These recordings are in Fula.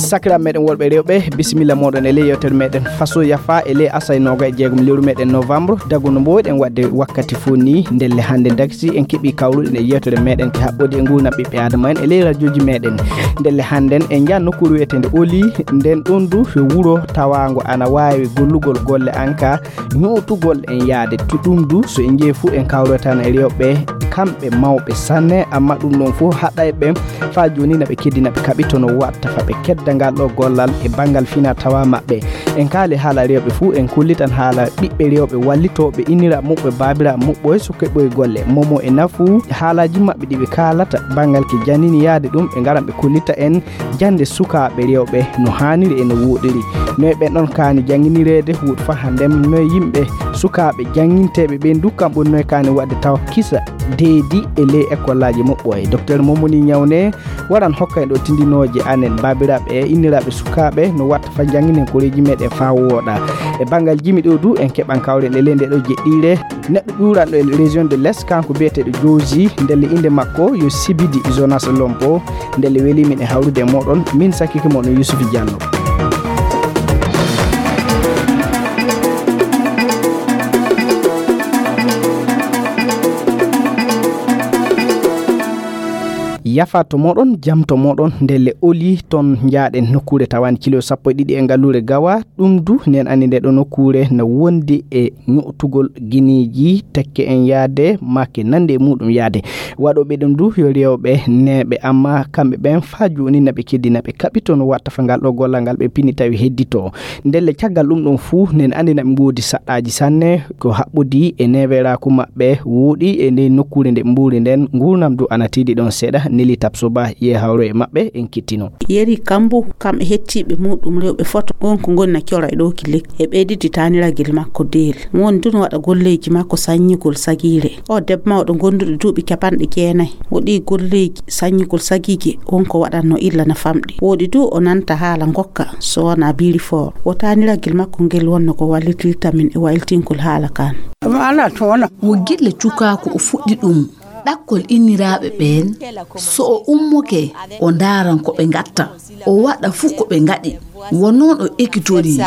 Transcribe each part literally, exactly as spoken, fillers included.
Sakiraaɓe meɗen worɓe e rewɓe, bisimilla moɗon e ley yewtere meɗen Faso Yafa e ley asay nooga e jeegom lewru meɗen novembre. Dagu no mboyɗen waɗde wakkati fof ni, ndelle hannde dagsi en keɓi kawruɗen e yewtere meɗen ke haɓɓodi e nguurndam ɓiɓɓe Adama en e ley radioji meɗen. Ndelle hannden en njaa nokkuure wiyeteende Oli, nden ɗon du ko wuro tawaango ana waawi gollugol golle anka ñootugol en yaade. To ɗum du, so en njii fof en kawroytaano e rewɓe, kamɓe mawɓe sanne, amma ɗum ɗon fof haɗay ɓe faa jooni na ɓe keddi na ɓe kaɓito no watta fa ɓe kedda ngal ɗo gollal e banngal fina tawa maɓɓe. En kaali haala rewɓe fof, en kollitan haala ɓiɓɓe rewɓe wallitooɓe innira muɓɓe, baabira muɓɓoy so keɓoy golle. Momo e nafu haalaaji maɓɓe ɗi ɓe kaalata banngal ke janini yaade ɗum, ɓe ngaran ɓe kollita en jannde sukaaɓe rewɓe no haaniri e no wooɗiri. Noy ɓen ɗon kaani jannginireede, huuɗo fa hannden noy yimɓe sukaaɓe jannginteeɓe ɓen du kam ɓuri noy kaani waɗde tawa kisa deedi e ley ekollaaji muɓɓoy. Docteur Momoni Ñawne waran hokka en ɗo tindinooje anen baabiraaɓe e inniraaɓe sukaaɓe no watta fa jannginen koreeji meɗen fa wooɗa. E banngal jimi ɗo du en keɓan kawren e ley nde ɗo jeɗɗiire. Neɗɗo ƴuuranɗo e région de l'Est, kanko biyeteeɗo Jooji, ndelle innde makko yo Sibidi Jonas Lompo, ndelle weli min e hawrude e moɗon, min sakike moɗon Yusuf Diallo. Yafa to moɗon, jam to moɗon, ndelle Oli ton njaaɗen nokkuure tawani kilo sappo e ɗiɗi e ngalluure Gawa, ɗum du nen anndi nde ɗo nokkuure no wondi e ño'tugol gineeji tekke en yaade, make nande e muɗum yaade. Waɗooɓe ɗum du yo rewɓe neeɓe, amma kamɓe ɓen faa jooni na ɓe keddi, na ɓe kaɓito no watta fa ngal ɗo gollal ngal ɓe pini tawi heddito. Ndelle caggal ɗum ɗon fuu, nen anndi na ɓe ngoodi saɗɗaaji sanne, ko haɓɓodi e neeɓeraaku maɓɓe wooɗi e nde nokkuure nde ɓe mbuuri nden, nguurnam du ana tiiɗi ɗon seeɗa, neli Tabsoba ye hawro e maɓɓe, en kittino. Yeri Kambu, kam e hettiiɓe muɗum rewɓe foto, on ko ngoni na cora e ɗo ki lekki. E ɓeyditi taaniragel makko Deel. Won du no waɗa golleeji makko sanñugol sagiire. O debbo mawɗo gonduɗo duuɓi capanɗe jeenayi. O ɗi golleeji sanñugol sagiije, won ko waɗatno illa na famɗi. Wooɗi du o nanta haala ngokka, so wona biri fort. O taaniragel makko ngel wonno ko wallitirta min e wayltingol haala kan. Ala toona. Wo gille cukaaku o fuɗɗi ɗum. Ɗakkol inniraaɓe ɓeen, so o ummoke, o ndaaran ko ɓe ngatta, o waɗa fuu ko ɓe ngaɗi, wo noon o ekitorii.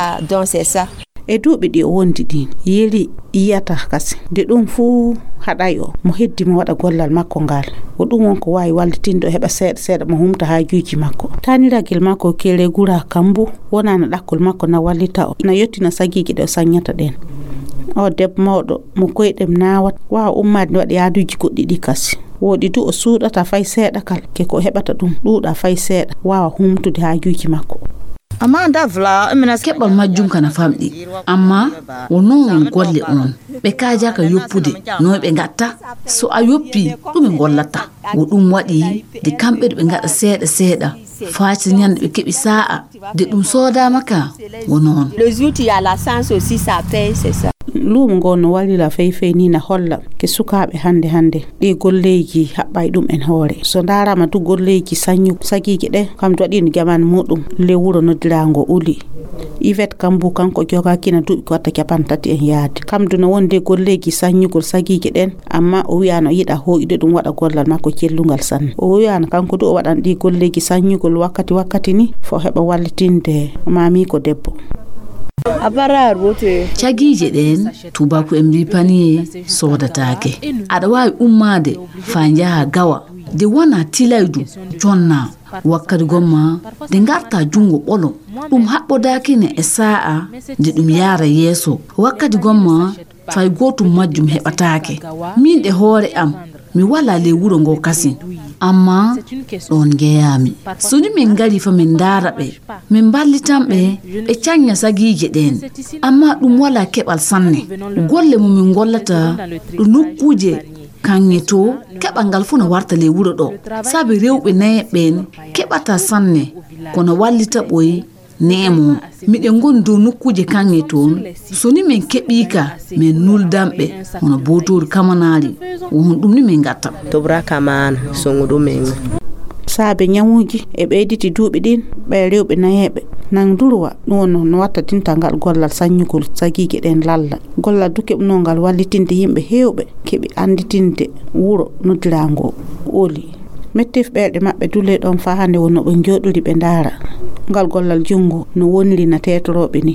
E duuɓi ɗi o wondi ɗiin, Yeri yiyata kasi. Nde ɗum fuu haɗay o, mo heddi mo waɗa gollal makko ngal. Ko ɗum won ko waawi wallitinde o heɓa seeɗa seeɗa mo humta haajuuji makko. Taaniragel makko Kere Gura Kambu, wonaa na ɗakkol makko na wallita o, na yottina sagiiji ɗe o saññata ɗeen. O debbo mawɗo mo koyɗem naawata, waawa ummaade nde waɗa yaaduuji goɗɗi ɗi kasi. Wooɗi du o suuɗata fay seeɗa kal, ke ko o heɓata ɗum ɗuuɗa fay seeɗa, waawa humtude haajuuji makko. Amma nda vla, mina keɓal majjum kana famɗi, amma wo noon won golle on. Ɓe kaajaaka yoppude, noy ɓe ngatta? So a yoppii, ɗume ngollata? Wo ɗum waɗi de kamɓe ɗo ɓe ngaɗa seeɗa seeɗa, faa si ñande ɓe keɓi saa'a, de ɗum soodaama ka, wo noon. Le jour tu as la chance aussi, ça paye, c'est ça. Luumo ngo no wallira fey fey ni na holla ke sukaaɓe hannde hannde. Ɗi golleeji haɓɓay ɗum en hoore. So ndaarama du golleeji sañu sagiije ɗe, kam du waɗiino jaman muɗum le wuro noddiraango Uli. Yvette Kambu kanko jogaaki na duuɓi ko watta capanɗe tati en yaade. Kam du no wonde golleeji saññugol sagiije ɗen, amma o wi'a no yiɗa hooƴude ɗum waɗa gollal makko cellungal sanne. O wi'a no kanko du o waɗan ɗi golleeji saññugol wakkati wakkati ni, fo heɓa wallitinde maamiiko debbo. Cagiije ɗeen, tubaku en mbii paniye soodataake. Aɗa waawi ummaade faa njaha gawa, de wona tilaydu jonna. Wakkati gomma, de ngarta junngo ɓolo. Ɗum haɓɓodaaki ne e saa'a, de ɗum yaara yeeso. Wakkati gomma, fay gootum majjum heɓataake. Min ɗe hoore am, mi walaa ley wuro ngo kasin. Amma ɗoon njeyaami. So ni min ngari fa min ndaara ɓe, min mballitan ɓe, ɓe cañña sagiije ɗeen. Amma ɗum walaa keɓal sanne. Golle mo min ngollata ɗo nokkuuje kaŋŋe to, keɓal ngal fof no warta ley wuro ɗo. Sabi rewɓe nayeeɓe ɓeen keɓata sanne, kono wallita ɓoy neemo. Miɗen ngoni dow nokkuuje kaŋŋe toon. So ni min keɓii ka, min nuldan ɓe, hono bootoori kamanaari, wo honɗum ni min ngatta. Tobra kamana, songu ɗum en. Saabe ñawuuji e ɓeyditi duuɓi ɗin, ɓe rewɓe nayeeɓe nan durwa, ɗum wonno no watta dintal ngal gollal saññugol sagiije ɗen lalla. Gollal du keɓunoo ngal wallitinde yimɓe heewɓe keɓi annditinde wuro noddiraango Oli. Metteef ɓerɗe maɓɓe dulee ɗoon faa hannde wonno ɓe njooɗori ɓe ndaara ngal gollal junngo no woniri na teetorooɓe ni.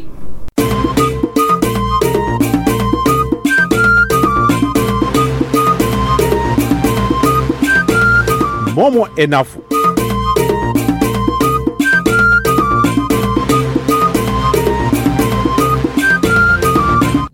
Momo e nafu.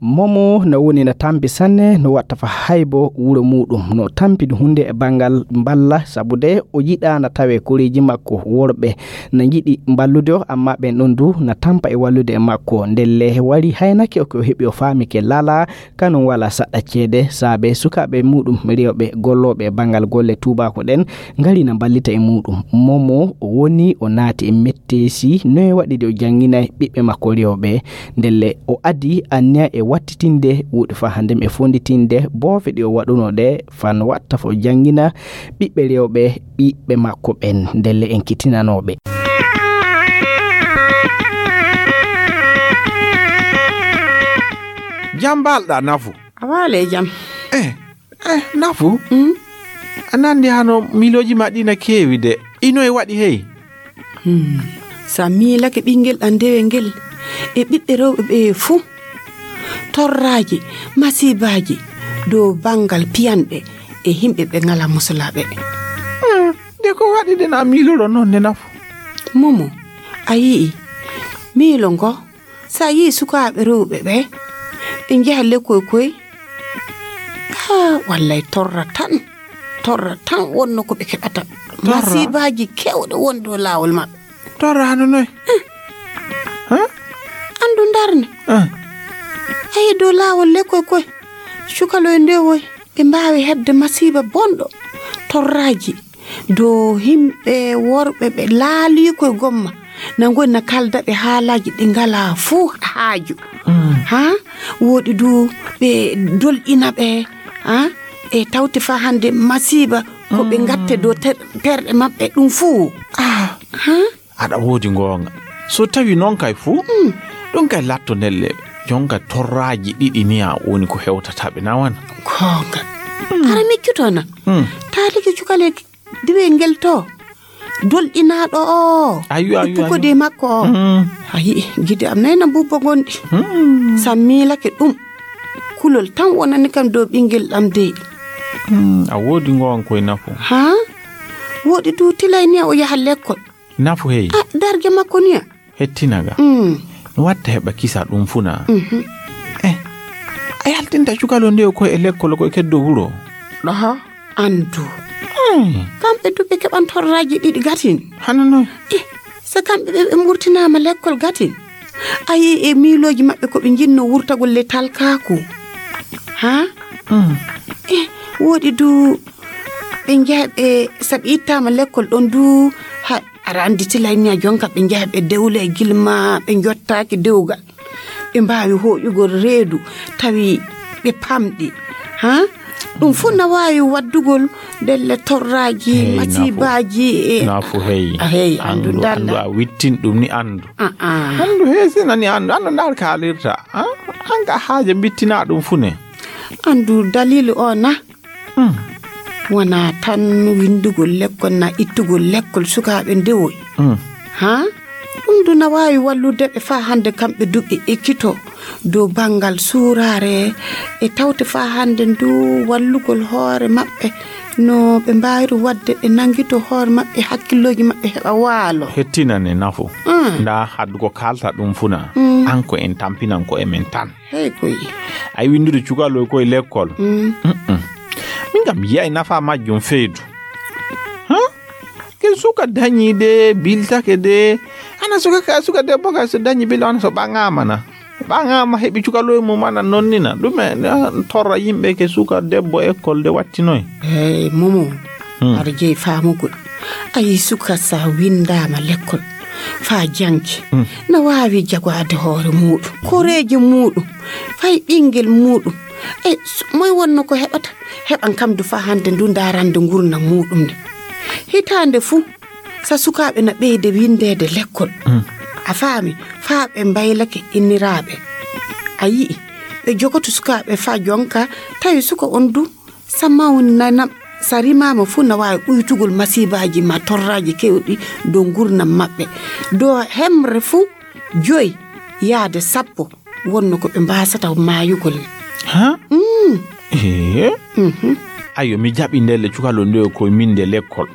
Momo no woni no tampi sanne, no watta fa haybo wuro muɗum. No tampi ɗum hunde e bangal mballa, sabu de o yiɗa na tawe koreeji makko worɓe na njiɗi mballude o, amma ɓen ɗon du na tampa e wallude e makko. Ndelle wari haynake o ko heɓi o faami ke lala, kanum wala saɗa ceede, saabe sukaaɓe muɗum rewɓe gollooɓe e bangal golle tuubaako ɗen ngari na mballita e muɗum. Momo o woni o naati e metteesi, noye waɗi de o janngina ɓiɓɓe makko rewɓe. Ndelle o adi anniya e wattitinde wuuɗi fa hannde e fonnditinde boofe ɗi o waɗuno ɗe, fan watta fo janngina ɓiɓɓe rewɓe ɓiɓɓe makko ɓen, ndelle en kitinanooɓe. Jam mbalɗa nafu. A waale jam. Eh, eh, nafu. Mm? A nandi hano miilooji ma ɗi na keewi de. Ino e waɗi hey. Hmm. Sa miilake ɓinngel ɗan dewe ngel e ɓiɓɓe rewɓe ɓe fuu. Torraaji, masiibaaji dow banngal piyanɓe e yimɓe ɓe ngala musulaaɓe. Hmm. De ko waɗi de na miiloro noon de nafu. Momo, a yi'i miilo ngo. Sa yi'i sukaaɓe rewɓe ɓe, ɓe njeha lekkoy koy. Haa, wallay torra tan. Torra tan wonno ko ɓe keɓata. Torra? Masiibaaji kewɗe won dow laawol maɓɓe. Torra hano noy? Eh. Huh? Anndu ndarne. Eh. Ayi dow laawol lekkoy koy. Cukaloy ndewoy. Ɓe mbaawi heɓde masiiba bonɗo. Torraaji. Dow yimɓe worɓe ɓe laalii koye gomma, na ngoni na kalda ɓe haalaaji ɗi ngalaa fuu haaju. Mm. Haa? Woɗi du ɓe dolɗina ɓe, haa? E tawti faa hannde masiiba ko ɓe Mm. ngatte dow ter-, terɗe maɓɓe ɗum fuu. Ah. Haa? Aɗa woodi ngoonga. So tawi noon kay fuu, Mm. ɗum kay latto ndelle, jonka torraaji ɗiɗi ni a woni ko hewtata ɓe nawana. Goonga. Mm. Hara miccutoo na? Mm. Taalike cukaleeki. Diwel ngel to, dolɗinaaɗo o, Ayyo, e ayyo, pukodee ayyo. makko o. Mm. A yi'i, gide am nayna mbubbo ngonɗi. Mm. Sa miilake ɗum, kulol tan wonani kam dow ɓinngel ɗam dey. Mm, a woodi ngowan koye nafu. Haa? Woodi du tilay ni o yaha lekkol. Nafu hey. A, darge makko ni a. Hettinaga. Mm. No watta heɓa kisa ɗum funa. Mhm. Eh, a yaltinta cukalo nde ko e lekkol ko e keddo wuro. Ɗoho, andu. Mm. Kamɓe du ɓe keɓan torraji ɗiɗi gatin. Hano noon. Eh, so kamɓe ɓe, ɓe murtinaama lekkol gatin. A yii e miilooji maɓɓe ko ɓe njinno wurtagol le talkaaku. Ha? Mm. Eh, woɗi du ɓe njeha ɓe, so ɓe ittaama lekkol ɗon du, ha, aɗa anndi tilay ni a jonka ɓe njeha ɓe dewle e gilma, ɓe njottaaki dewgal. Ɓe mbaawi hooƴugol reedu, tawi ɓe pamɗi. Ha? Ɗum fof na waawi waddugol ndelle torraaji, Hey, nafu. masibaaji e Nafu hey. A hey, anndu Anndu, dalla. anndu a wittin ɗum ni anndu. Ah, ah. Anndu hey, si nani anndu, anndu ndaar kaalirta. Ah, an ka haaja mbittina ɗum fu ne. Anndu daliilu o na? Hmm. Wonaa tan winndugol lekkol na ittugol lekkol sukaaɓe ndewoy. Hmm. Ha? Ɗum du na waawi wallude ɓe faa hannde kamɓe du ɓe ekkito dow banngal suuraare e tawte faa hannde ndu wallugol hoore maɓɓe no ɓe mbaawiri waɗde ɓe nanngito hoore maɓɓe hakkillooji maɓɓe heɓa waalo. Hettinane nafu. Mm. Ndaa haddu ko kaalta ɗum funa. Mm. An ko en tampinan ko e men tan. Hey koy. Ay winndude cukaloy koye lekkol. Mm. Mm-mm. Min kam yiyay nafa majjum feydu. Huh? Ke suka dañi de, biltake de. Ana suka ka, suka debbo ka so dañi bil, ana so ɓaŋaama na. Ɓaŋaama heɓi cukaloy mum ana nonnina. Ɗum e, ah, torra yimɓe ke suka debbo ekkol de wattinoy. Hey, Momo. Hmm. Aɗa jeyi faamugol. A yii suka sa winndaama lekkol. Faa janngi. Hmm. Na waawi jagwaade hoore muuɗum. Koreeje muuɗum. Fay ɓinngel muuɗum. E, s-, moy wonno ko heɓata? Heɓan kam du faa hannde ndu ndaarande ngurnam muuɗum nde. Hitaande fuu, sa sukaaɓe na ɓeyde winndeede lekkol. Mm. A faami? Faa ɓe mbaylake inniraaɓe. A yi'i, ɓe jogoto sukaaɓe faa jonka, tawi suka on du, sa mawnanam, So a rimaama fuu, na waawi ɓuytugol masiibaaji ma torraaji keewɗi dow nguurndam maɓɓe. Dow hemre fuu, joyi yaade sappo wonno ko ɓe mbaasata maayugol. Ha? Mm. Ee. Mhm. Ayo, mi jaɓi ndelle cukalo nde ko min nde lekkol.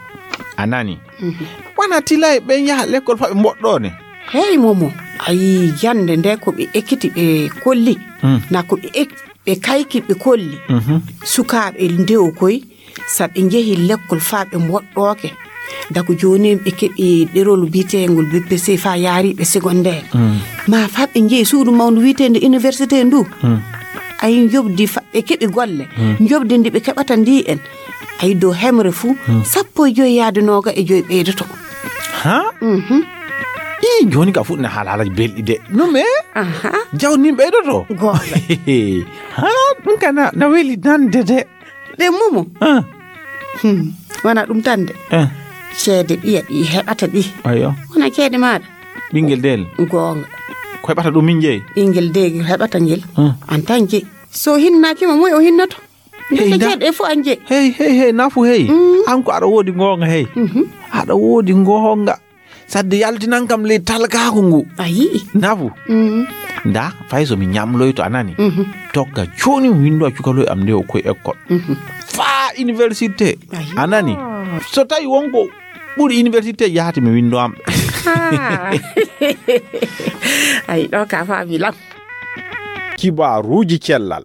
A nani? Mhm. Wana tilay ɓen yaha lekkol fa ɓe mboɗɗoone. Hey, Momo, a yii jannde nde ko ɓe ekkiti ɓe kolli? Mm. Na ko ɓe ek-, ɓe kayki ɓe kolli? Mhm. Sukaaɓe ndewo koy, so ɓe njehi lekkol fa ɓe mboɗɗooke. Dago jooni ɓe keɓi ɗerol biyeteengol B P C fa yaari ɓe secondaire. Mm. Ma fa ɓe njehi suudu mawndu wiyeteende université ndu. Mm. Ay njoɓdi fa ɓe keɓi golle. Mm. Njoɓdi ndi ɓe keɓata ndi en. Ay dow hemre fuu, mm, sappo e joyi yaade nooga e joyi ɓeydoto. Ha? Mhm. Ii, jooni ka fuɗɗi na haala haalaji belɗi de. No me? Aha. Jawdi nin ɓeydoto? Goonga. Ha, ɗum ka na, na weli nande de. Ɗe Momo. Ah. Hmm. Wona ɗum tan de. Ah. Ceede ɓiya ɗi heɓata ɗi. Ayo. Wona ceede maaɗa. Ɓinngel deel. Goonga. Ko heɓata ɗum min jeyi? Ɓinngel deel heɓata ngel. Ah. An tan jeyi. So hinnaaki mo, moy o hinnoto? Hey, nde na- ceede fof an jeyi. Hey, hey, hey, nafu hey. Mm. An ko aɗa woodi goonga hey. Mhm. Aɗa woodi goonga. Sadde yaltinan kam ley talkaaku ngu. A yi'i? Nafu. Mm. Nda, fay so mi ñamloyto, a nani? Mhm. Tokka jooni mi winndo a cukaloy am nde o koye école. Mhm. Faa université. Ayi. A nani? So tawi wonko ɓuri université yahata mi winndo am. Ah. Ayi, ɗo ka faami lam. Kibaaruuji cellal.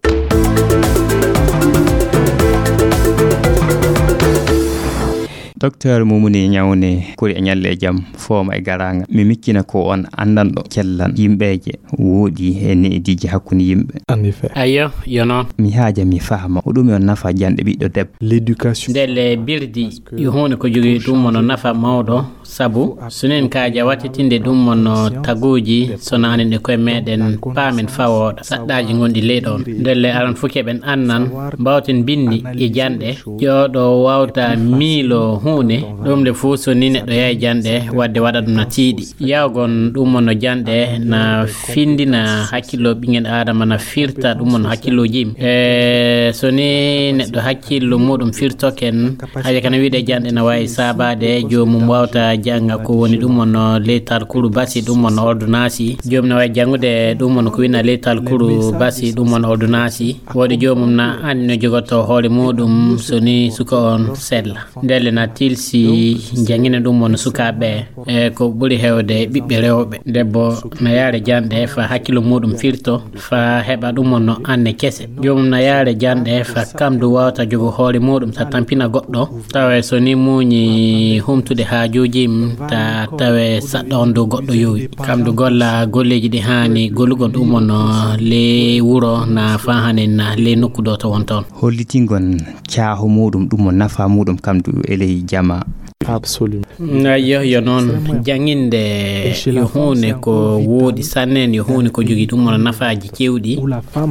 Docteur Mumuni Ñawne, kori e ñalle e jam, fooma e garaanga. Mi miccina ko on anndanɗo cellal yimɓeeje wooɗi e neediiji hakkunde yimɓe. En effet. Ayo, yo noon. Mi haaja mi faama, ko ɗum e on nafa janɗe ɓiɗɗo debbo? L'éducation. Ndelle birdi, yo huunde ko jogii ɗum wano nafa mawɗo. Sabu, so nen kaaja wattitinde ɗum wonno taguuji, so naanen e koye meɗen, paamen fawooɗa. Saɗɗaaji ngonɗi ley ɗoon. Ndelle aran fof keɓen annan, mbawten binndi e janɗe, jooɗo wawta miilo huunde, ɗum nde fof so ni neɗɗo yahi janɗe, wadde waɗa ɗum na tiiɗi. Yawgon ɗum wonno janɗe, na findina hakkillo ɓinngel Aadama, na firta ɗum wonno hakkillooji yimɓe. E, so ni neɗɗo hakkillo muɗum firtoken, Haja kana wiide janɗe na waawi saabaade, joomum waawta jannga ko woni ɗum wonno ley talkuru basi, ɗum wonno ordonnance. Joomum na waawi janngude ɗum wonno ko winna ley talkuru basi, ɗum wonno ordonnance. Woodi joomum na anndi no jogotoo hoore muuɗum so ni suka on sella. Ndelle na tilsi janngina ɗum wonno sukaaɓe. E ko ɓuri heewde ɓiɓɓe rewɓe. Debbo na yaare janɗe fa hakkillo muuɗum firto, fa heɓa ɗum wonno anne kese. Joomum na yaare janɗe fa kam du waawta jogo hoore muuɗum ta tampina goɗɗo. Tawe so ni muuñi humtude haajuuji mum, ta tawe saɗɗa on dow goɗɗo yowi. Kam du golla golleeji ɗi haani gollugol ɗum wonno ley wuro na fa hanen na ley nokku ɗo to wonta on. Hollitingon caahu muuɗum, ɗum mo nafa muuɗum kam du e ley jama. Absolument. Ayyo, yo noon. Janginde yo huunde ko wooɗi sanne, yo huunde ko jogii ɗum wona nafaaji keewɗi.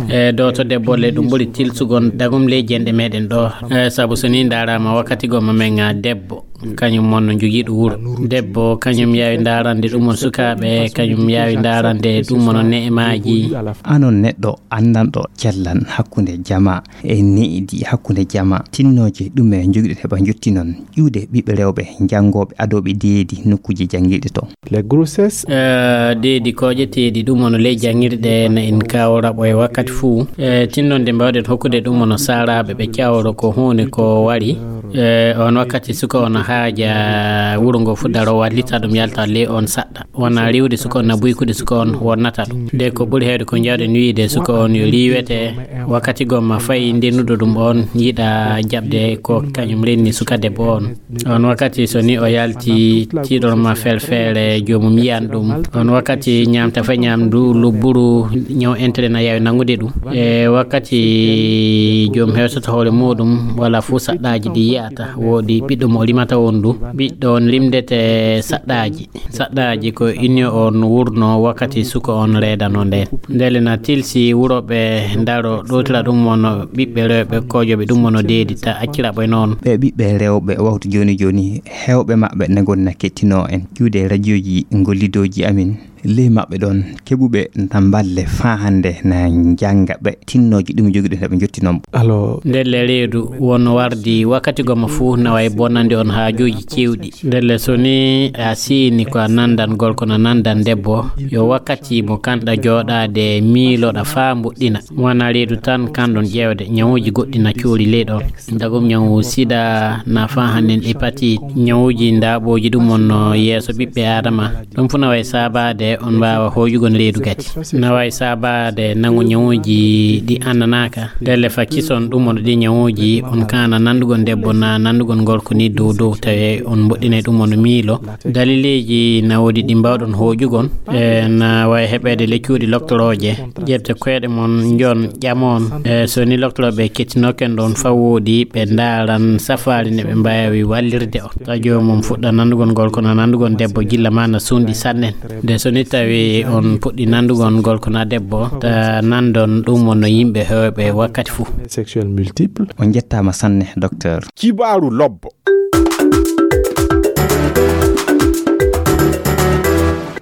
E ɗo to debbo le ɗum ɓuri tilsugol dagum ley jenɗe meɗen ɗo. E sabu so ni ndaaraama wakkati gomma men, a, debbo, kañum wonno jogiiɗo wuro. Debbo, kañum yaawi ndaarande ɗum won sukaaɓe, kañum yaawi ndaarande ɗum won ne'emaaji. Anon neɗɗo anndanɗo cellal hakkunde jama e needi hakkunde jama, tinnooje ɗume njogiɗon heɓa njottinon ƴuwde ɓiɓɓe rewɓe janngooɓe adooɓe deedi nokkuuje janngirɗe to? Les grossesses. Eh, deedi kooƴeteeɗi ɗum wano ley janngirɗe na en kawra ɓo e wakkati fuu. Eh, tinnonde mbawɗen hokkude ɗum wano saalaaɓe ɓe cawro ko huunde ko wari. Eh, on wakkati suka on haaja wuro ngo fuu daro wallita ɗum yalta ley on saɗɗa. Wona riiwde suka on na buykude suka on wonnata ɗum. Nde ko ɓuri heewde ko njawɗen wiyde suka on yo riiwete wakkati gomma fayi ndennuɗo ɗum on yiɗa jaɓde ko kañum renni suka debbo on. On wakkati so ni o yalti tiiɗon ma felfeere joomum yiyan ɗum. On wakkati ñaamta fa ñaamdu lubburu ñaw entere na yaawi nanngude ɗum. E wakkati joom hewsata hoore muuɗum wala fuu saɗɗaaji ɗi yi'ata. Wooɗi ɓiɗɗo mo rimata on du. Ɓiɗɗo on rimdete saɗɗaaji. Saɗɗaaji ko inni on wurno wakkati suka on reedano nden. Ndele na tilsi wuro ɓe ndaro ɗootira ɗum wonno ɓiɓɓe rewɓe koojoɓe ɗum wonno deedi ta accira ɓoy noon. Ɓe ɓiɓɓe rewɓe wawtu jooni jooni, heewɓe maɓɓe na ngoni na kettinoo en ƴuwde radiooji ngollidooji amin. Ley maɓɓe ɗon keɓuɓe na mballe faa hannde na njannga ɓe tinnooji ɗum jogiɗo heɓe njottinon. Alors, ndelle reedu wonno wardi wakkati goma fuu na wayi bonande on haajuuji cewɗi. Ndelle so ni a siini ko a nandan gorko na nandan debbo, yo wakkati mo kanɗa jooɗaade miiloɗa faa mbuɗɗina. Wana reedu tan kanɗon ƴeewde ñawuuji goɗɗi na coori ley ɗon. Dagum ñawu sida na faa hannden hepatite, ñawuuji ndaaɓooji ɗum on no yeeso ɓiɓɓe Aadama. Ɗum fuu na wayi saabaade on mbaawa hooƴugol reedu gati. Na wayi saabaade nangu ñawuuji ɗi annanaaka. Ndelle fa kison ɗum on ɗi ñawuuji on kaana nanndugon debbo na nanndugon gorko ni dow dow tawi on mboɗɗinay ɗum on miilo. Dalileeji na woodi ɗi mbaawɗon hooƴugol. E na wayi heɓeede le cuuɗi loktorooje. Ƴeewte koyɗe mon njon ƴamoon. E so ni loktorooɓe kettinooken ɗon fa woodi ɓe ndaaran safaari ne ɓe mbaawi wallirde on. Tawa joomum fuɗɗa nanndugon gorko na nanndugon debbo gilla ma na suunɗi sanne. Nde so ni tawi on puɗɗi nanndugon gorko na debbo, ta nanndon ɗum on no yimɓe heewɓe wakkati fuu. Sexuel multiple. On njettaama sanne, docteur. Kibaaru lobbo.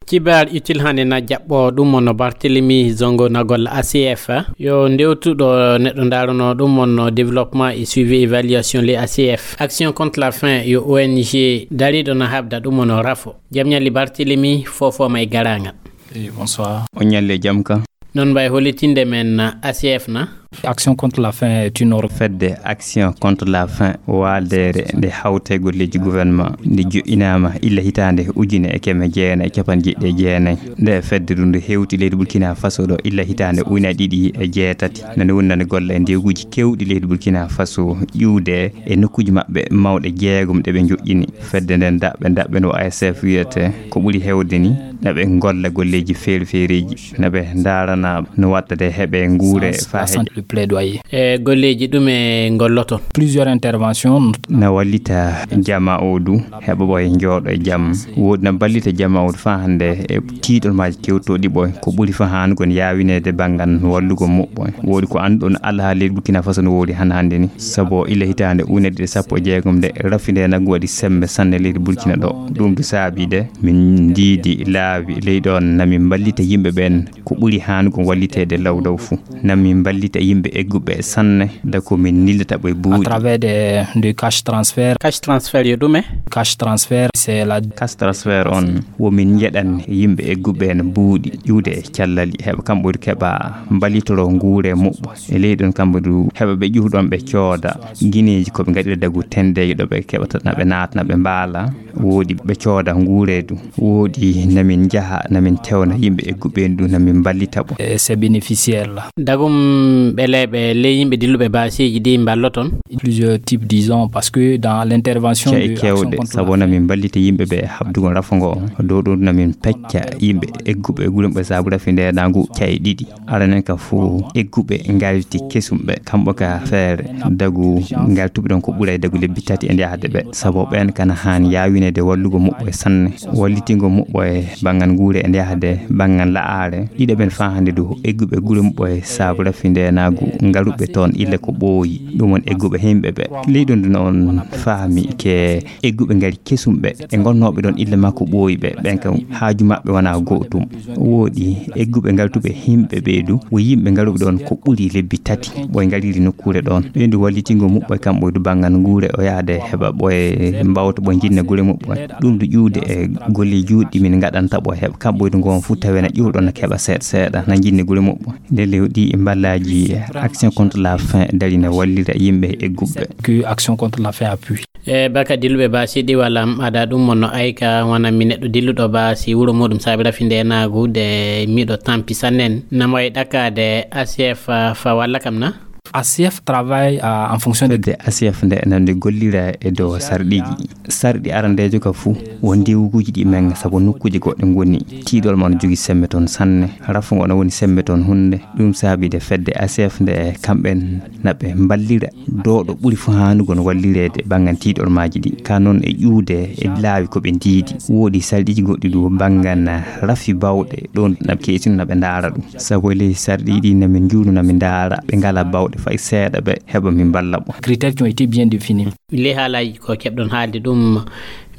Kibaar utile hannde na jaɓɓo ɗum on no Barthélemy Zongo na golla A C F. Yo ndewtuɗo neɗɗo ndaarano ɗum on no développement et suivi évaluation les A C F. Action contre la faim yo O N G dariɗo na habda ɗum on no rafo. Jam ñalli Barthélemy, fofooma e garaangal. Eh, bonsoir. On ñalli e jam ka. Non mbay hollitinde men A C F na. Action contre la faim est une or- Fedde Action contre la faim waaldeere nde hawte golleeji gouvernement nde joɗɗinaama illa hitaande ujune e keme jeenayi e capanɗe jeeɗiɗi e jeenayi. Nde fedde ɗum nde hewti leydi Burkina Faso ɗo illa hitaande ujune ɗiɗi e jeetati. Nane woni nane golla e ndewguuji kewɗi leydi Burkina Faso ƴuwde e nokkuuji maɓɓe mawɗe jeegom ɗe ɓe joɗɗini. Fedde nden daɓɓe daɓɓe no A S F wiyete ko ɓuri hewde ni na ɓe golla golleeji feere feereeji, na ɓe ndaarana no wattade heɓe nguure faa heƴa. Le plaidoyer. E golleeji ɗume ngolloton? Plusieurs interventions. Na wallita jama o du heɓa ɓoye njooɗo e jam. Woodi na ballita jama o du faa hannde e tiiɗol maaji kewtooɗi ɓoye. Ko ɓuri faa haanugol yaawineede banngal wallugo muɓɓoye. Woodi ko annduɗon alhaali Burkina Faso no woodi han hannde ni. Sabu illa hitaande ujune ɗiɗi e sappo e jeegom nde rafi nde naggu waɗi sembe sanne leydi Burkina ɗo. Ɗum du saabi de min ndiidi laawi ley ɗon na min mballita yimɓe ɓen ko ɓuri haanugol walliteede law law fuu. Na min mballita yimɓe egguɓe sanne da ko min ndillata ɓe buuɗi. À travers des, des cash transfert. Cash transfert yo ɗume? Cash transfert, c'est la. Cash transfert on wo min njeɗan yimɓe egguɓe no buuɗi ƴuwde e callali heɓa kamɓe keɓa mballitoro nguure muɓɓo. E ley ɗon kamɓe du heɓa ɓe ƴuwɗon ɓe cooda gineeji ko ɓe ngaɗira dagu tendeeji ɗo ɓe keɓata na ɓe naatna ɓe mbaala. Woodi ɓe cooda nguureedu. Woodi na min njaha na min tewna yimɓe egguɓe en du na min mballita ɓe. Et ces bénéficiaires là. Dagum ɓeleeɓe ley yimɓe dilluɓe baaseeji ɗi mballoton. Plusieurs types, disons, parce que dans l'intervention de Action contre la faim, sabu na min mballita yimɓe ɓe habdugol rafo ngo. Dow ɗum na min pecca yimɓe egguɓe e guurɗinɓe sabu rafi nde nangu caye ɗiɗi. Aranen ka fof egguɓe ngalti kesum ɓe kamɓe ka feere dagu ngaltuɓe ɗon ko ɓuray dagu lebbi tati e yahde ɓe sabu ɓen kana haan yaawineede wallugo muɓɓo e sanne wallitingo muɓɓo e banngal nguure e yahde banngal la'aare ɗiɗo ɓen faa hannde du egguɓe gure muɓɓo e sabu rafi ndeenaagu ngaruɓe toon ille ko ɓooyi ɗum won egguɓe himɓe ɓe ley ɗum ɗum on faami ke egguɓe ngari kesum ɓe e gonnooɓe ɗon ille makko ɓooyi ɓe ɓen kam haaju maɓɓe wonaa gootum. Wooɗi egguɓe ngaltuɓe himɓe ɓee du wo yimɓe ngaruɓe ɗon ko ɓuri lebbi tati ɓoy ngariri nokkuure ɗon ɓen du wallitingo muɓɓoy kamɓoy du banngal nguure o yahde heɓa ɓoye mbawta ɓoye njinna gure muɓɓoy. Ɗum du ƴuwde e golle juuɗɗi min ngaɗanta ɓoye heɓa kamɓoy du ngoon fof tawena ƴuwɗon no keɓa seeɗa seeɗa na njinni gure muɓɓoy. Nde lewɗi e mballaaji Action contre la faim darina wallira yimɓe e egguɓe. Que Action contre la faim appuie. E baka dilluɓe ba siɗi walla am ada ɗum mon no ayka wona mi neɗɗo dilluɗo ba si wuro muɗum saabi rafi ndenaagu de miɗo tampi sannen na mo e ɗakkaade A C F fa walla kam na. A C F travaille en fonction de. Fedde A C F nde nande gollira e dow sarɗiji sarɗi arandejo ka fuu won ndiwuguji ɗi men sabu nokkuji goɗɗe ngoni tiiɗol mon jogi sembe toon sanne rafu ngo no woni sembe toon hunde. Ɗum saabi de fedde A C F nde kamɓen na ɓe mballira dooɗo ɓuri fof haanugol wallireede banngal tiiɗormaaji ɗi ka noon e ƴuwde e laawi ko ɓe ndiidi. Woodi sarɗiiji goɗɗi du banngal rafi bawɗe ɗoon na ɓe keesino na ɓe ndaara ɗum sabu e ley sarɗiiji ɗi na min njuunu na min ndaara ɓe ngala bawɗe fay seeɗa ɓe heɓa min mballa ɓo. Critères qui ont été bien définis. Ley haalaaji ko keɓɗon haalde ɗum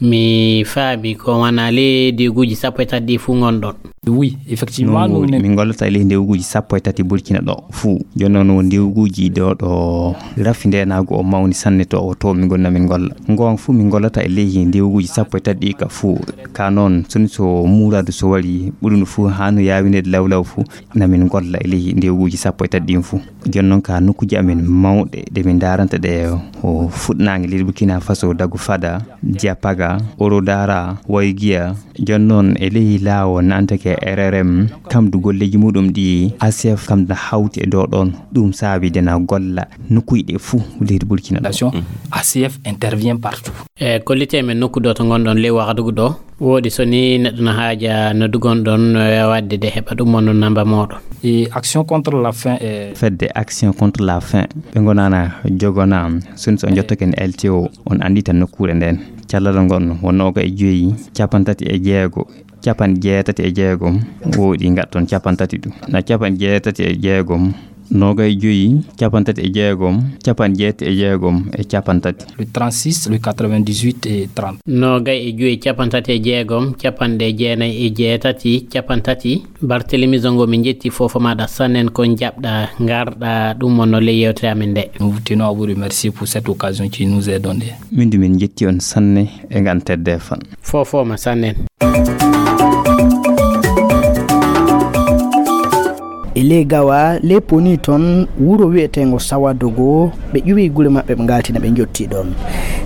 Mi faami ko wona ley ndewguuji sappo e tati ɗi fuu ngonɗon. Oui, effectivement, nous, min ngollata e ley ndewguuji sappo e tati Burkina ɗo fuu. Jooni noon, won ndewguuji ɗo, ɗo rafi ndeenaagu o mawni sanne to, o to min ngonna min ngolla. Ngoon fuu min ngollata e ley ndewguuji sappo e tati ɗi ka fuu. Ka noon, so ni so muuraadu so wari, ɓuri no fuu haa no yaawineede law law fuu, na min ngolla e ley ndewguuji sappo e tati ɗin fuu. Jooni noon ka nokkuuji amen mawɗe ɗe min ndaaranta ɗe, o fuɗnaange leydi Burkina Faso, Dagu Fada, Diapaga, Orodara, Waygiya. Jooni noon e ley laawol nantake R R M, kam du golleeji muɗum ɗi A C F kam na hawti e dow ɗoon. Ɗum saabi de na golla nokkuuji ɗe fuu leydi Burkina ɗo. A C F intervient partout. E kollite men nokku ɗo to ngonɗon ley Wagadugu ɗo. Woodi so ni neɗɗo no haaja no dugon ɗon, eh, waɗde de heɓa ɗum on namba mooɗon. Et Action contre la faim, eh. Fedde Action contre la faim, ɓe ngonana jogona, so ni so on jottake en L T O, on anndita nokkuure nden. Callal ngon won nooga e joyi, capanɗe tati e jeego, capanɗe jeetati e jeegom, woodi ngatton capanɗe tati ɗum. Na capanɗe jeetati e jeegom, nooga e joyi, capanɗe tati e jeegom, capanɗe jeetati e jeegom e capanɗe tati. Le trente-six, le quatre-vingt-dix-huit et trente. Noogay e joyi, capanɗe tati e jeegom, capanɗe jeenay e jeetati, capanɗe tati. Barthélemy Zongo, min njetti fofo maɗa sannen ko jaɓɗa ngarɗa ɗum on no ley yewtere amen nde. Nous tenons à vous remercier pour cette occasion qui nous est donnée. Min du min njetti on sanne e ngan tedde fan. Fofoma sannen. E ley Gawa, ley Poni toon, wuro wiyeteengo Sawadogo, ɓe ƴuwi gure maɓɓe, ɓe ngaltina, ɓe njottii ɗoon.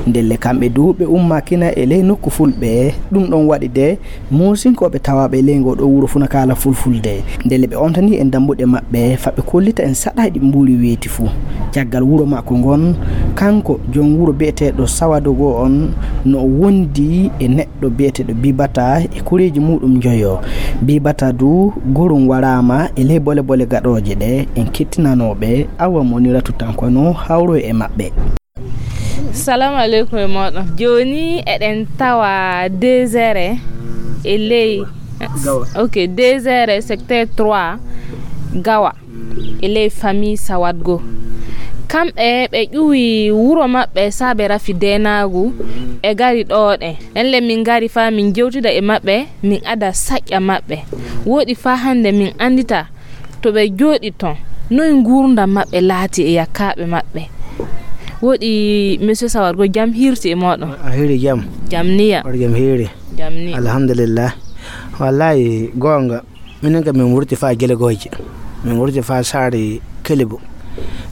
Ndelle kamɓe du, ɓe ummaakina e ley nokku fulɓe. Ɗum ɗoon waɗi de, Moosinkooɓe tawaaɓe e ley ngoo ɗoo wuro fuu na kaala fulfulde. Ndelle ɓe ontanii en dammbuɗe maɓɓe, faa ɓe kollita en saɗaaji ɗi mbuuri weeti fuu. Caggal wuro makko ngon, kanko joom wuro biyeteeɗo Sawadogo on, no o wondi e neɗɗo biyeteeɗo Bibata e koreeji muuɗum njoyo. Bibata du, gorum waraama e ley bole bole gaɗooje ɗe en kettinanooɓe, Awa Moniratu Tanko no hawro e maɓɓe. Salamu aleykum e mooɗon. Jooni eɗen tawa désert e ley, ok, désert secteur trois Gawa. E ley famille Sawat goo. Kamɓe ɓe ƴuwi wuro maɓɓe saabe rafi deenaagu, ɓe ngari ɗoo ɗen. Nden le min ngari faa min njewtida e maɓɓe, min ada saƴƴa maɓɓe. Wooɗi faa hannde min anndita to ɓe njooɗi toon, noy nguurndam maɓɓe laati e yakkaaɓe maɓɓe. Wooɗi monsieur Sawat goo, jam hiirti e mooɗon? A hiiri jam? Jam niya. Waɗi jam hiiri. Jam niya. Alhamdulillah. Wallahi, goonga. Minen kam min wurti faa Gelegooje, min wurti faa saare Kelibo,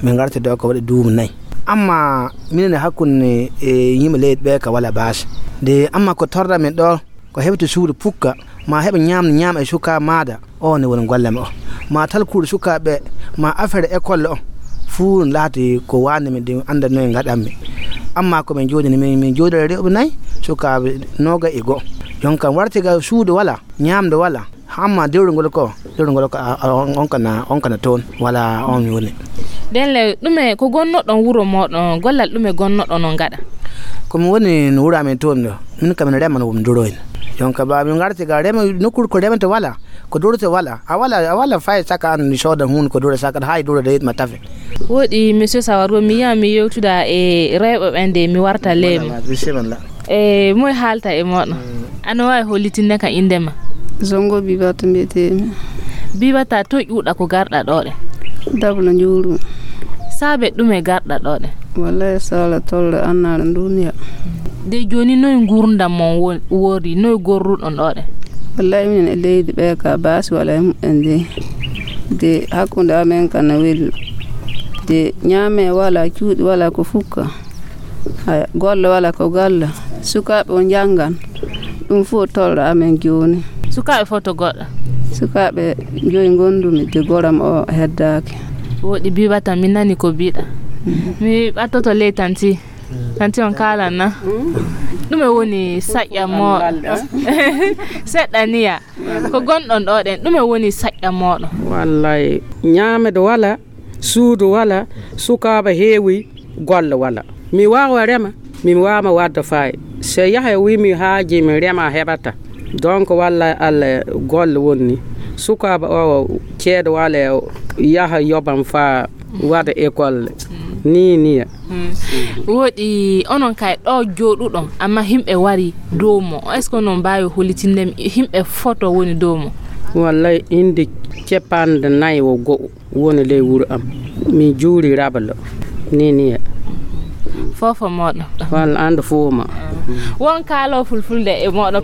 min ngarti ɗo ko waɗi duuɓi nayi. Amma minen e hakkunde e yimɓe leydi ɓe ka wala baasi. De amma ko torra min ɗo, ko heɓti suudu pukka, ma heɓa ñaam, ñaam e suka maada, o ne woni golle ma o. Ma tal kuuɗe sukaaɓe, ma affaire école o, fuu laati ko waande min de annda noye ngaɗanmi. Amma ko min jooɗini, min, min jooɗi rewɓe nayi, sukaaɓe nooga e goo. Yon kam warti ga suudu wala, ñaamde wala. Amma dewrugol ko, dewrugol ko, a, a, on, on kana, on kana toon, wala on woni. Nden le, ɗume ko gonnoɗon wuro moɗon, gollal ɗume gonnoɗon on gaɗa? Ko mi woni no wuro amen toon ɗo, min kam mi rema no mi duroyno. Jonka ba min ngarti ga rema, nokkuure ko remete wala, ko durete wala. A wala, a wala fay saka an mi sooda hun ko dure saka hay dure de ma tafe. Woɗi monsieur Sawar, mi yiya mi yewtuda e rewɓe ɓen de mi warta leemi. Wala, wala, bisimilla. E moy haalta e moɗon? Ano waawi hollitinde ka innde ma? Zongo Bibata mbiyetee-mi. Bibata, to ƴuuɗa ko garɗa ɗo ɗe? Dabla njuuru. Saabe ɗume garɗa ɗo ɗe? Wallahi sala tolle annaare duniya. De jooni noy nguurndam mon wo-, woori, noy gorruɗon ɗo ɗe? Wallahi minen e leydi ɓe ka baasi wala e muɓɓen de. De hakkunde amen kana weli. De ñaame wala, cuuɗi wala ko fukka. Haya, golle wala ko golle. Sukaaɓe o njanngan. Ɗum fof tolɗo amen jooni. Sukaaɓe fof to goɗɗo? Sukaaɓe joyi ngondumi de goram o heddaaki. Woɗi Bibata, mi nani ko mbiɗa. Mhm. Mi ɓattoto ley tanti. Tanti on kaalan na? Ɗume woni saƴƴa mo? Seɗɗa niya. Ko gonɗon ɗo ɗen, ɗume woni saƴƴa moɗon? Wallay, ñaamede wala, suudu wala, sukaaɓe heewi, golle wala. Mi waawa rema, mi waawa wadde faay. So yaha wi mi haaji mi rema heɓata. Donc wallay Allah golle wonni. Sukaaɓe o ceede wala yaha yoɓam fa waɗa école. Ni niya. Woɗi onon kay ɗo jooɗuɗon, amma himɓe wari dow mo. Est-ce que onon mbaawi hollitinde mi himɓe foto woni dow mo? Wallay, inde capanɗe nayi o go'o woni ley wuro am. Mi juuri rabalo. Ni niya. Fofo moɗo. Walla ando fofo ma. Won kaalo fulfulde e moɗo.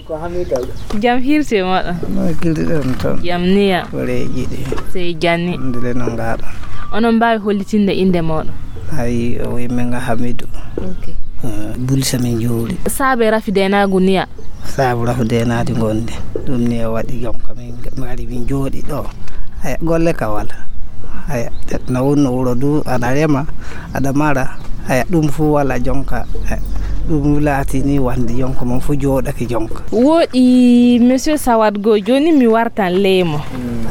Jam hirsi e moɗo. No gilɗi ɗon toon. Jam niya. Koreeji ɗi. Sey janni. Ndile no ngaɗa. Onon mbaawi hollitinde inde moɗo? Ayi, o wi men ga Hamidu. Ok. Eh, Bulsa min juuri. Saabe rafi denaagu niya. Saabu rafi denaadi ngonde. Ɗum ni o waɗi jonka min ngari min jooɗi ɗo. Aya, golle ka wala. Aya, no wonno wuro du, aɗa rema, aɗa mara. Aya, ɗum fu wala jonka. Aya, ɗum laati ni wande jonka mon fu jooɗake jonka. Woɗi, monsieur Sawat go, joni mi wartan leymo.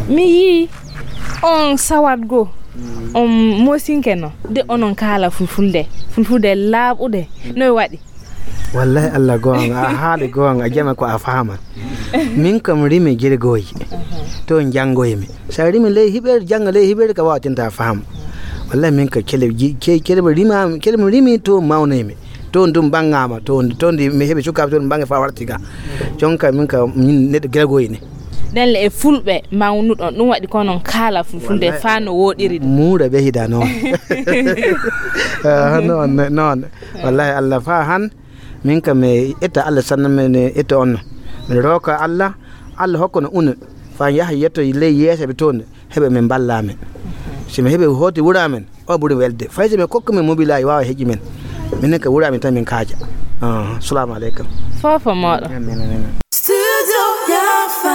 Mi yi on Sawat go, on mosinke no. De onon kaala fulfulde, fulfulde laaɓude. No waɗi? Wallahi Allah goonga, a haali goonga, a jama ko a faama. Min kam rimi jirgooji, to njanngoymi. So a rimi ley hiɓeede, jannga ley hiɓeede ka waawatinta faam. Wallahi min ka kele ji-, ke-, kele mo rimaami, kele mo rimi to mawnoymi. To ndum bangaama, to, to ndi mi heɓi sukaaɓe to bange fa warti ga. Jonka min ka min neɗɗo jirgooji ni. Ɗen le e fulɓe mawnuɗon, ɗum waɗi ko non kaala fulfulde. Wallahi. Fa no woɗiri ɗum. Muura ɓe hida noon. Ah, noon, noon. Wallahi Allah fa han. Min kam mi etta Allah sanna mi etta on. Mi rooka Allah, Allah hokka no una. Fa yaha yetto ley yeeso ɓe toon, heɓe min mballa min. Si mi heɓi hooti wura men, o ɓuri welde. Fay si mi kokka min mobilaaji waawa heƴi men. Minen ka wura min tan min kaaja. Ah, salamu aleykum. Fofo moɗo. Amin, amin. Studio Yafa.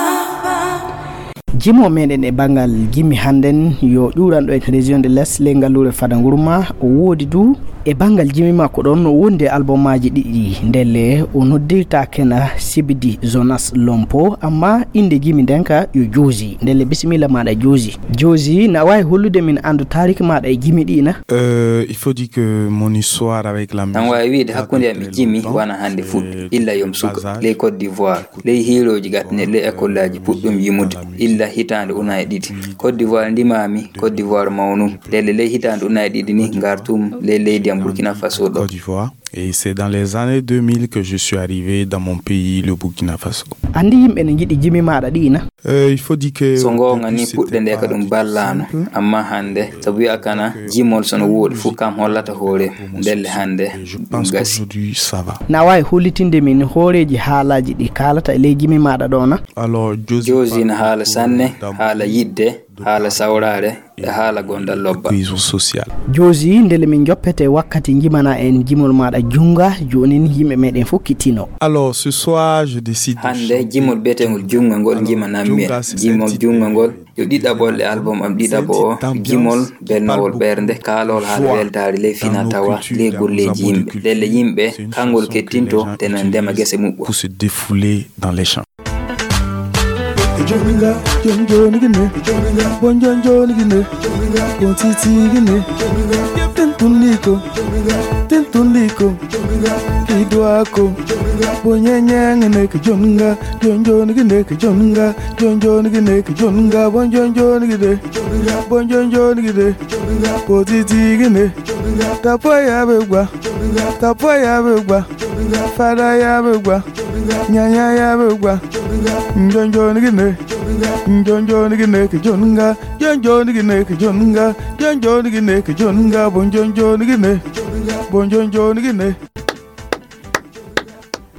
Jimo meɗen e banngal jimi hannden yo ƴuuranɗo en région de l'Est ley ngalluure Fada Ngurma, o woodi du e banngal jimi makko ɗon no wondi e albumaaji ɗiɗi. Ndelle o noddirta kena Sibidi Jonas Lompo, amma innde jimi nden ka yo Joosi. Ndelle bisimilla maaɗa Joosi. Joosi, na waawi hollude min anndu taariki maaɗa e jimi ɗi na? Euh, il faut dire que mon histoire avec la musique date de très longtemps. Tan waawi wiide hakkunde am e jimi wona hannde fuɗɗi. Illa yom suka ley Côte d'Ivoire. Ley hiirooji gatne, ley ekollaaji puɗɗum yimude, illa hitaande ujunaaji ɗiɗi. Côte d'Ivoire ndimaami, Côte d'Ivoire mawnum. Ndelle ley hitaande ujunaaji ɗiɗi ni ngartum ley leydi am Burkina Faso ɗo. Côte d'Ivoire. Et c'est dans les années deux mille que je suis arrivé dans mon pays, le Burkina Faso. Anndi yimɓe ne njiɗi jimi maaɗa ɗi na? Euh, il faut dire que so goonga ni, puɗɗe nde ka ɗum ballaano, amma hannde, sabu wi'a kana, jimol so no wooɗi fof kam hollata hoore, ndelle hannde ɗum gasi. Na waawi hollitinde min hooreeji haalaaji ɗi kaalata e ley jimi maaɗa ɗo na? Alors, Josie na haala sanne, haala yiɗde, haala sawraare, e haala gondal lobba. Cohésion sociale. Joosi, ndele min joppete wakkati njimana en jimol maaɗa junnga, joonin yimɓe meɗen fof kittino. Alors, ce soir, je décide de chanter Hannde, jimol biyeteengol junnga ngol njimanammi en. Jimol junnga ngol, yo ɗiɗaɓol e album am ɗiɗaɓo o, jimol belnowol ɓernde, kaalol haala weltaare ley fina tawa, ley golleeji yimɓe. Ndelle yimɓe, kangol kettinto, tena ndema gese muɓɓo. Pour se défouler dans les champs. Joninga, jon joni gine, joninga, bon jon joni gine, joninga, bon titi gine, joninga, ten tunliko, joninga, ten tunliko, joninga, idwako, joninga, bon nyenyang ne ke joninga, jon joni gine ke joninga, jon joni gine ke joninga, bon jon joni gine, joninga, bon jon joni gine, joninga, bon titi gine, joninga, tapoya begwa, joninga, tapoya begwa, joninga, fada ya begwa. Nyanya ya be gwa. Njon joni gine. Njon joni gine ke jonga. Njon joni gine ke jonga. Njon joni gine ke jonga. Bon njon joni gine. Bon njon joni gine.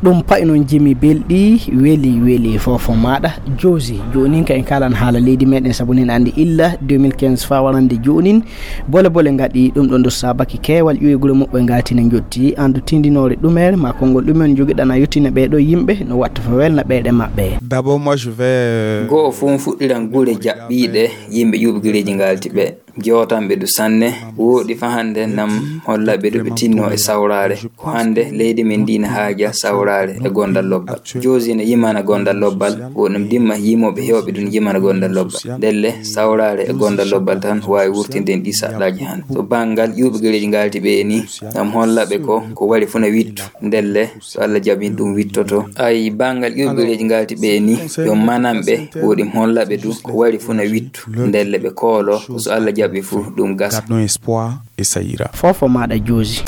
Ɗum payi noon jimi belɗi, weli, weli fofo maaɗa. Joosi, joonin ka en kaalan haala leydi meɗen, sabu nen anndi illa deux mille quinze faa warande joonin. Bole bole ngaɗi ɗum ɗon ɗo saabaki keewal ƴuwe gure muɓɓe ngaati ne njotti. Anndu tindinoore ɗumere ma konngol ɗumen jogiɗana yottina ɓee ɗo yimɓe no watta fa welna ɓeeɗe maɓɓe. D'abord, moi, je vais, euh, Go'o fof fuɗɗiran gure jaɓɓiiɗe yimɓe ƴuɓgireeji ngaalti ɓe. Jootanɓe du sanne, wooɗi fa hannde nam hollaɓe du ɓe tinno e sawraare. Ko hannde leydi men ndi ne haaja sawraare e gondal lobbal. Joosi ne yimana gondal lobbal, wo ɗum dimma yimooɓe heewɓe du ne yimana gondal lobbal. Ndelle sawraare e gondal lobbal tan waawi wurtinde en ɗi saɗɗaaji hannde. To banngal ƴuuɓe gereeji ngaalti ɓe ni, ngam hollaɓe ko, ko wari fuu na wittu. Ndelle so Allah jaɓi ɗum wittoto. Ay banngal ƴuuɓe gereeji ngaalti ɓe ni, yo manamɓe, wo ɗum hollaɓe du, ko wari fuu na wittu. Ndelle ɓe koolo, so Allah Kamɓe fof ɗum gasa. Gardons espoir e Sayira. Fofo maɗa joosi.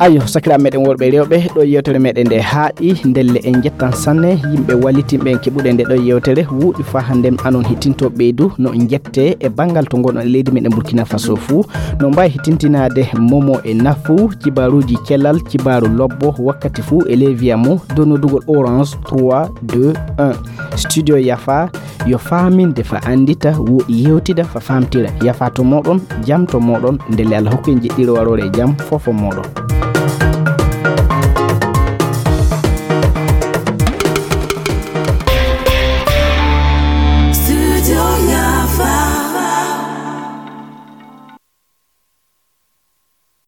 Ayo, sakiraaɓe meɗen worɓe e rewɓe, ɗo yewtere meɗen nde haaɗi. Ndelle en njettan sanne yimɓe wallitinɓe en keɓuɗe nde ɗo yewtere. Wuuɗi faa hannde anon hittinto ɓeydu no njette e banngal to ngonɗon e leydi meɗen Burkina Faso fuu. No mbawi hittintinaade momo e nafu, kibaruuji celal, kibaaru lobbo wakkati fuu e ley wiya mo donnodugol orange trois deux un. Studio yafa yo faaminde fa anndita, woɗi yewtida fa faamtira. Yafa to moɗon, jam to moɗon, ndelle Allah hokku en jeɗɗiɗo waroore e jam fofo moɗon.